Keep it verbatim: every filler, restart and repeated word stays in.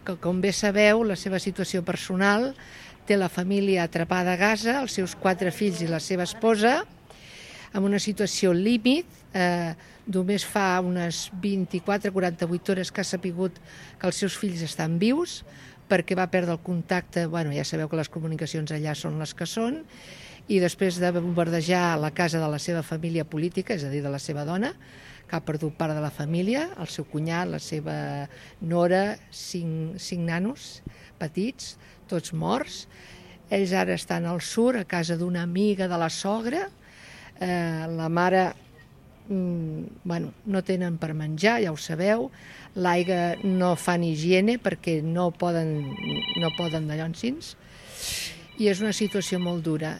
que, com bé sabeu, la seva situació personal, té la família atrapada a Gaza, els seus quatre fills i la seva esposa, amb una situació límit. Eh, només fa unes vint-i-quatre a quaranta-vuit hores que ha sapigut que els seus fills estan vius, perquè va perdre el contacte. Bueno, ja sabeu que les comunicacions allà són les que són, i després de bombardejar la casa de la seva família política, és a dir, de la seva dona, que ha perdut part de la família, el seu cunyat, la seva nora, cinc, cinc nanos petits, tots morts. Ells ara estan al sud, a casa d'una amiga de la sogra. Eh, la mare, mm, bueno, no tenen per menjar, ja ho sabeu. L'aigua no fan higiene perquè no poden, no poden d'allò encins. I és una situació molt dura.